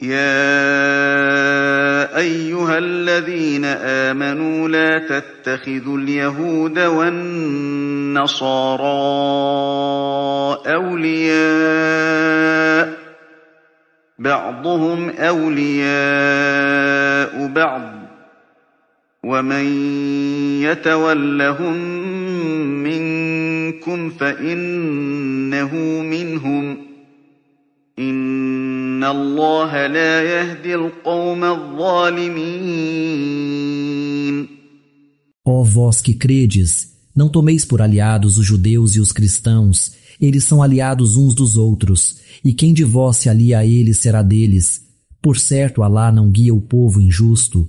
يا أيها الذين آمنوا لا تتخذوا اليهود والنصارى أولياء بعضهم أولياء بعض ومن يتولهم منكم فإنه منهم إن الله لا يهدي القوم الظالمين. Ó vós que credes, não tomeis por aliados os judeus e os cristãos, eles são aliados uns dos outros, e quem de vós se alia a eles será deles. Por certo, Alá não guia o povo injusto.